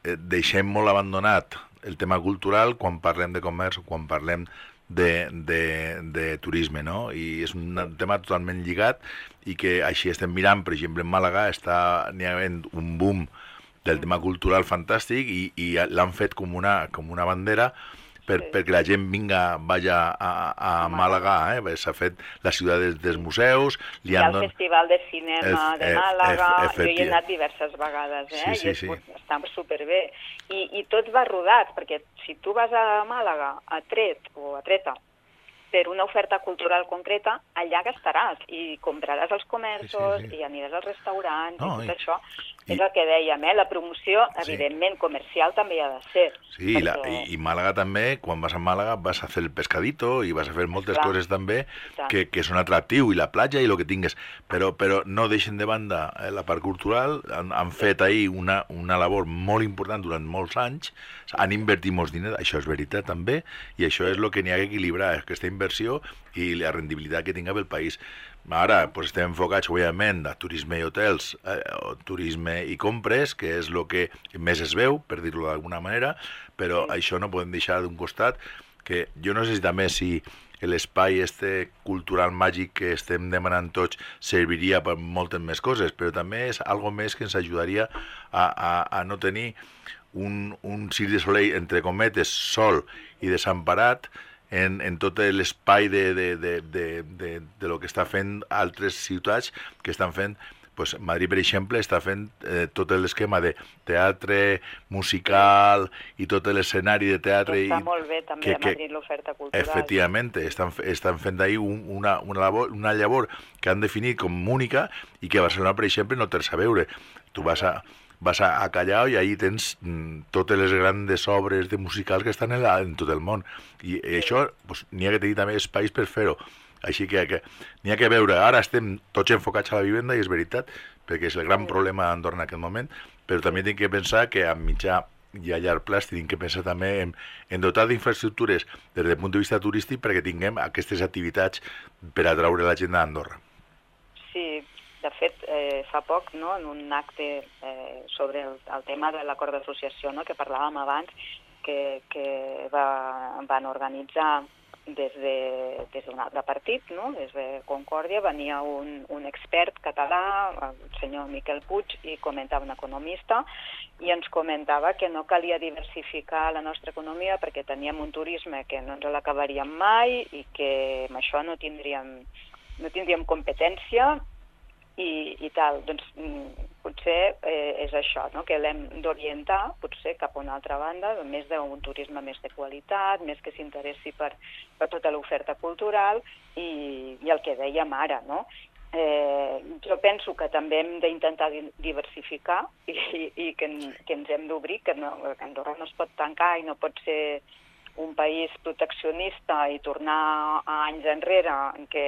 deixem molt abandonat el tema cultural quan parlem de comerç o quan parlem de turisme, no? I és un tema totalment lligat i que així estem mirant, per exemple, en Màlaga n'hi ha havent un boom del tema cultural fantàstic i l'han fet com una bandera perquè la gent vagi a Màlaga, s'ha fet la ciutat dels museus. Hi ha el Festival de Cinema de Màlaga, jo hi he anat diverses vegades, i està superbé. I tot va rodat, perquè si tu vas a Màlaga, a Tret o a Treta, per una oferta cultural concreta, allà gastaràs i compraràs als comerços i aniràs als restaurants i tot això. És el que dèiem, la promoció, evidentment, comercial també hi ha de ser. Sí, i Màlaga també, quan vas a Màlaga vas a fer el pescadito i vas a fer moltes coses també que són atractiu, i la platja i el que tingues, però no deixen de banda la part cultural. Han fet ahir una labor molt important durant molts anys, han invertit molts diners, això és veritat també, i això és el que n'hi ha que equilibrar, aquesta inversió i la rendibilitat que tinga pel país. Ara estem enfocats, òbviament, a turisme i hotels, turisme i compres, que és el que més es veu, per dir-ho d'alguna manera, però això no podem deixar d'un costat, que jo no sé si també l'espai cultural màgic que estem demanant tots serviria per moltes més coses, però també és algo més que ens ajudaria a no tenir un Cirque du Soleil, entre cometes, sol i desemparat en tot l'espai de lo que està fent altres ciutats que estan fent. Madrid, per exemple, està fent tot l'esquema de teatre musical i tot l'escenari de teatre. Està molt bé també a Madrid l'oferta cultural. Efectivament, estan fent ahir una llavor que han definit com única i que a Barcelona, per exemple, no tens a veure. Tu vas a Callao i allí tens totes les grans obres de musicals que estan en tot el món. I això n'hi ha que tenir també espais per fer-ho. Així que n'hi ha que veure. Ara estem tots enfocats a la vivenda, i és veritat, perquè és el gran problema d'Andorra en aquest moment, però també hem de pensar que a mitjà i a llarg plaç hem de pensar també en dotar d'infraestructures des del punt de vista turístic perquè tinguem aquestes activitats per atraure la gent d'Andorra. Sí, de fet, fa poc, en un acte sobre el tema de l'acord d'associació, que parlàvem abans, que van organitzar des de partit, des de Concòrdia, venia un expert català, el senyor Miquel Puig, i comentava un economista, i ens comentava que no calia diversificar la nostra economia perquè teníem un turisme que no ens l'acabaríem mai i que amb això no tindríem competència i tal. Doncs potser és això, que l'hem d'orientar potser cap a una altra banda, més d'un turisme més de qualitat, més que s'interessi per tota l'oferta cultural i el que dèiem ara, Jo penso que també hem d'intentar diversificar i que ens hem d'obrir, que Andorra no es pot tancar i no pot ser un país proteccionista i tornar a anys enrere en què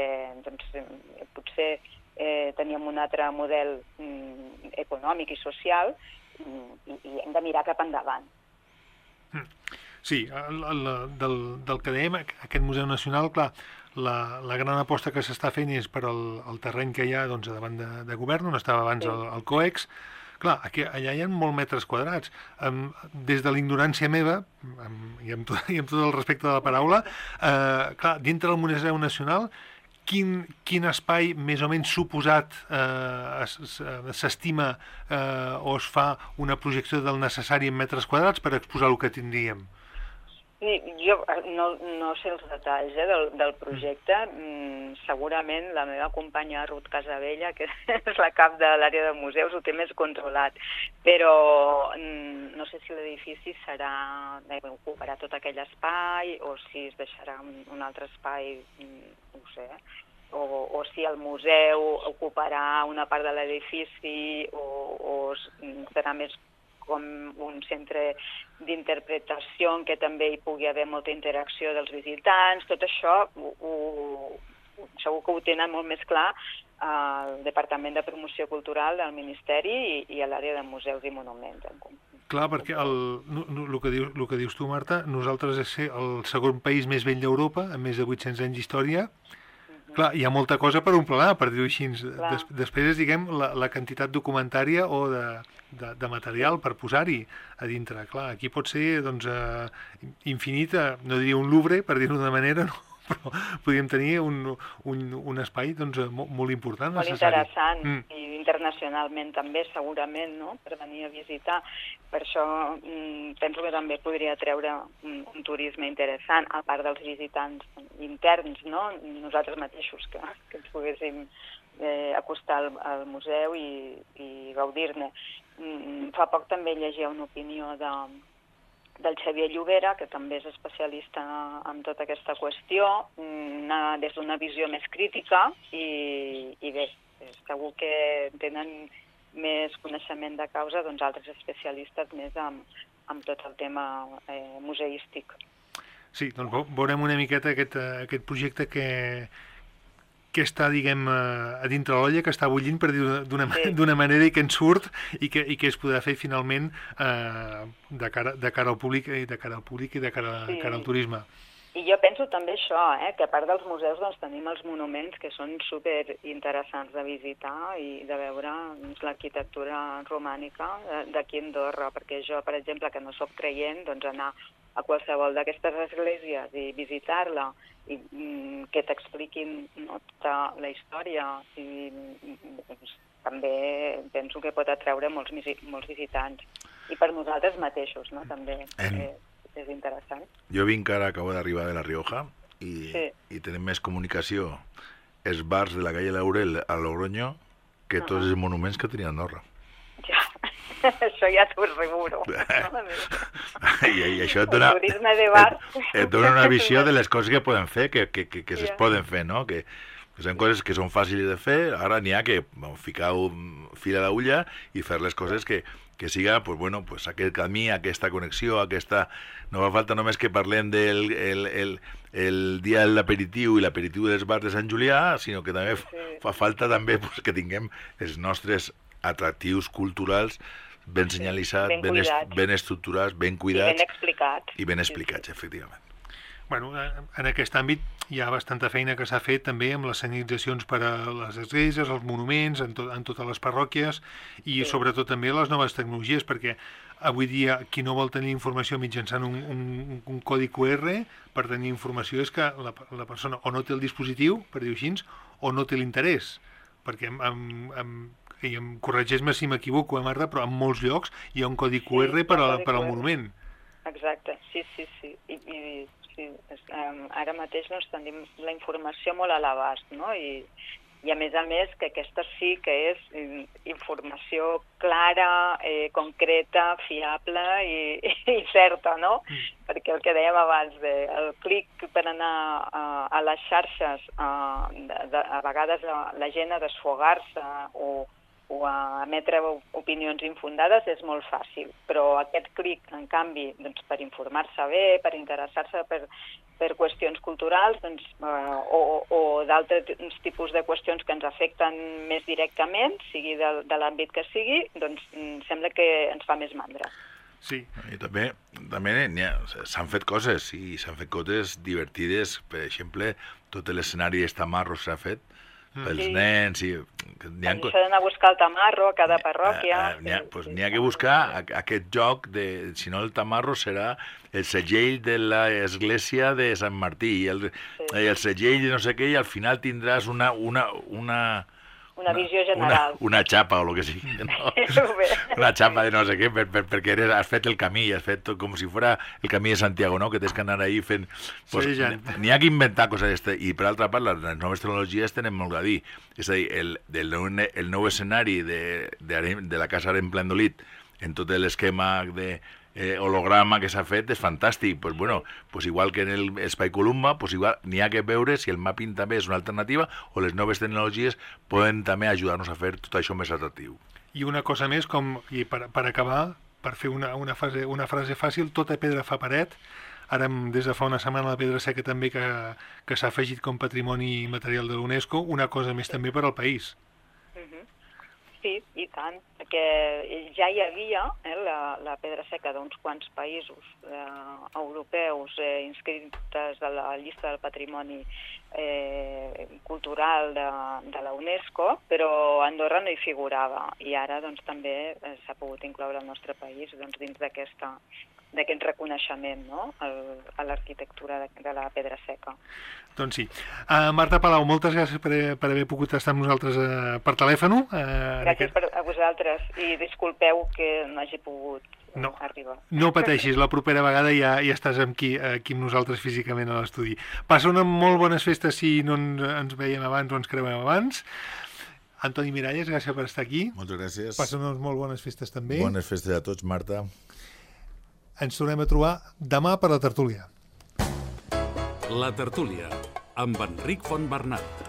potser teníem un altre model econòmic i social i hem de mirar cap endavant. Sí, del que dèiem, aquest Museu Nacional, clar, la gran aposta que s'està fent és per al terreny que hi ha davant de govern, on estava abans el COEX. Clar, allà hi ha molts metres quadrats. Des de l'ignorància meva, i amb tot el respecte de la paraula, clar, dintre del Museu Nacional, quin espai més o menys suposat s'estima o es fa una projecció del necessari en metres quadrats per exposar el que tindríem? Sí, jo no sé els detalls del projecte. Segurament la meva companya Ruth Casabella, que és la cap de l'àrea de museus, ho té més controlat. Però no sé si l'edifici ocuparà tot aquell espai o si es deixarà un altre espai, no ho sé, o si el museu ocuparà una part de l'edifici o serà més com un centre d'interpretació en què també hi pugui haver molta interacció dels visitants. Tot això segur que ho tenen molt més clar al Departament de Promoció Cultural del Ministeri i a l'àrea de museus i monuments. Clar, perquè el que dius tu, Marta, nosaltres és el segon país més vell d'Europa, amb més de 800 anys d'història. Clar, hi ha molta cosa per un planar, per dir-ho així. Després és, diguem, la quantitat documentària o de material per posar-hi a dintre. Clar, aquí pot ser, infinita, no diria un Louvre, per dir-ho d'una manera, no? Però podríem tenir un espai molt important, molt necessari. Interessant, i internacionalment també, segurament, no?, per venir a visitar. Per això penso que també podria treure un turisme interessant, a part dels visitants interns, no?, nosaltres mateixos, que ens poguéssim acostar al museu i gaudir-ne. Fa poc també llegia una opinió del Xavier Llobera, que també és especialista en tota aquesta qüestió, des d'una visió més crítica, i bé, segur que tenen més coneixement de causa altres especialistes més amb tot el tema museístic. Sí, doncs veurem una miqueta aquest projecte que està, diguem, a dintre l'olla, que està bullint, per dir-ho d'una manera, i que ens surt i que es podrà fer finalment de cara al públic i de cara al turisme. I jo penso també això, que a part dels museus tenim els monuments, que són superinteressants de visitar i de veure l'arquitectura romànica d'aquí a Andorra, perquè jo, per exemple, que no soc creient, anar a qualsevol d'aquestes esglésies i visitar-la i que t'expliquin tota la història, i també penso que pot atraure molts visitants. I per nosaltres mateixos, no?, també és interessant. Jo acabo d'arribar de La Rioja i tenim més comunicació els bars de la calle Laurel a Logroño que tots els monuments que tenia Andorra. Ja, això ja t'ho asseguro. I això et dona una visió de les coses que poden fer, que es poden fer, no? Que són coses que són fàcils de fer. Ara n'hi ha que ficar fil a l'agulla i fer les coses que siga, aquest camí, aquesta connexió, no fa falta només que parlem del dia de l'aperitiu i l'aperitiu dels bars de Sant Julià, sinó que també fa falta també que tinguem els nostres atractius culturals ben senyalitzats, ben estructurats, ben cuidats i ben explicats, efectivament. Bueno, en aquest àmbit hi ha bastanta feina que s'ha fet també amb les senyalitzacions per a les esglésies, els monuments, en totes les parròquies i sobretot també les noves tecnologies, perquè avui dia qui no vol tenir informació mitjançant un codi QR per tenir informació és que la persona o no té el dispositiu, per dir-ho així, o no té l'interès, perquè i em corregeix-me si m'equivoco, Marta, però en molts llocs hi ha un codi QR per al monument. Exacte, sí. Ara mateix tenim la informació molt a l'abast, no? I I a més que aquesta sí que és informació clara, concreta, fiable i certa, no? Perquè el que dèiem abans, el clic per anar a les xarxes, a vegades la gent a desfogar-se o a emetre opinions infundades és molt fàcil, però aquest clic, en canvi, doncs, per informar-se bé, per interessar-se per qüestions culturals o d'altres tipus de qüestions que ens afecten més directament, sigui de l'àmbit que sigui, doncs sembla que ens fa més mandra. Sí. I també s'han fet coses, i s'han fet coses divertides. Per exemple, tot l'escenari de Tamarro s'ha fet pels nens. Això d'anar a buscar el tamarro a cada parròquia. N'hi ha que buscar aquest joc de, si no el tamarro serà el segell de l'església de Sant Martí, el segell de no sé què, i al final tindràs una visió general. Una xapa o el que sigui, no? Una xapa de no sé què, perquè has fet el camí, has fet com si fos el camí de Santiago, no? Que tens que anar ahí fent... N'hi ha que inventar coses. I per altra part, les noves tecnologies tenen molt a dir. És a dir, el nou escenari de la Casa Aremplandolit, en tot l'esquema de holograma que s'ha fet, és fantàstic. Pues igual que en l'Espai Columba, pues igual n'hi ha que veure si el mapping també és una alternativa o les noves tecnologies poden també ajudar-nos a fer tot això més atractiu. I una cosa més, i per acabar, per fer una frase fàcil, tota pedra fa paret. Ara, des de fa una setmana, la Pedra Seca també que s'ha afegit com patrimoni material de l'UNESCO, una cosa més també per al país. Sí, i tant, perquè ja hi havia la Pedra Seca d'uns quants països europeus inscrites a la llista del patrimoni cultural de la UNESCO, però Andorra no hi figurava, i ara doncs, també s'ha pogut incloure el nostre país dins d'aquest reconeixement, no? A l'arquitectura de la Pedra Seca. Doncs sí. Marta Palau, moltes gràcies per haver pogut estar amb nosaltres per telèfon. Gràcies a vosaltres, i disculpeu que no hagi pogut arribar. No pateixis, la propera vegada ja estàs aquí amb nosaltres físicament a l'estudi. Passa unes molt bones festes si no ens veiem abans o ens creuem abans. Antoni Miralles, gràcies per estar aquí. Moltes gràcies. Passa unes molt bones festes també. Bones festes a tots, Marta. Ens tornem a trobar demà per la tertúlia. La tertúlia, amb Enric Fontbernat.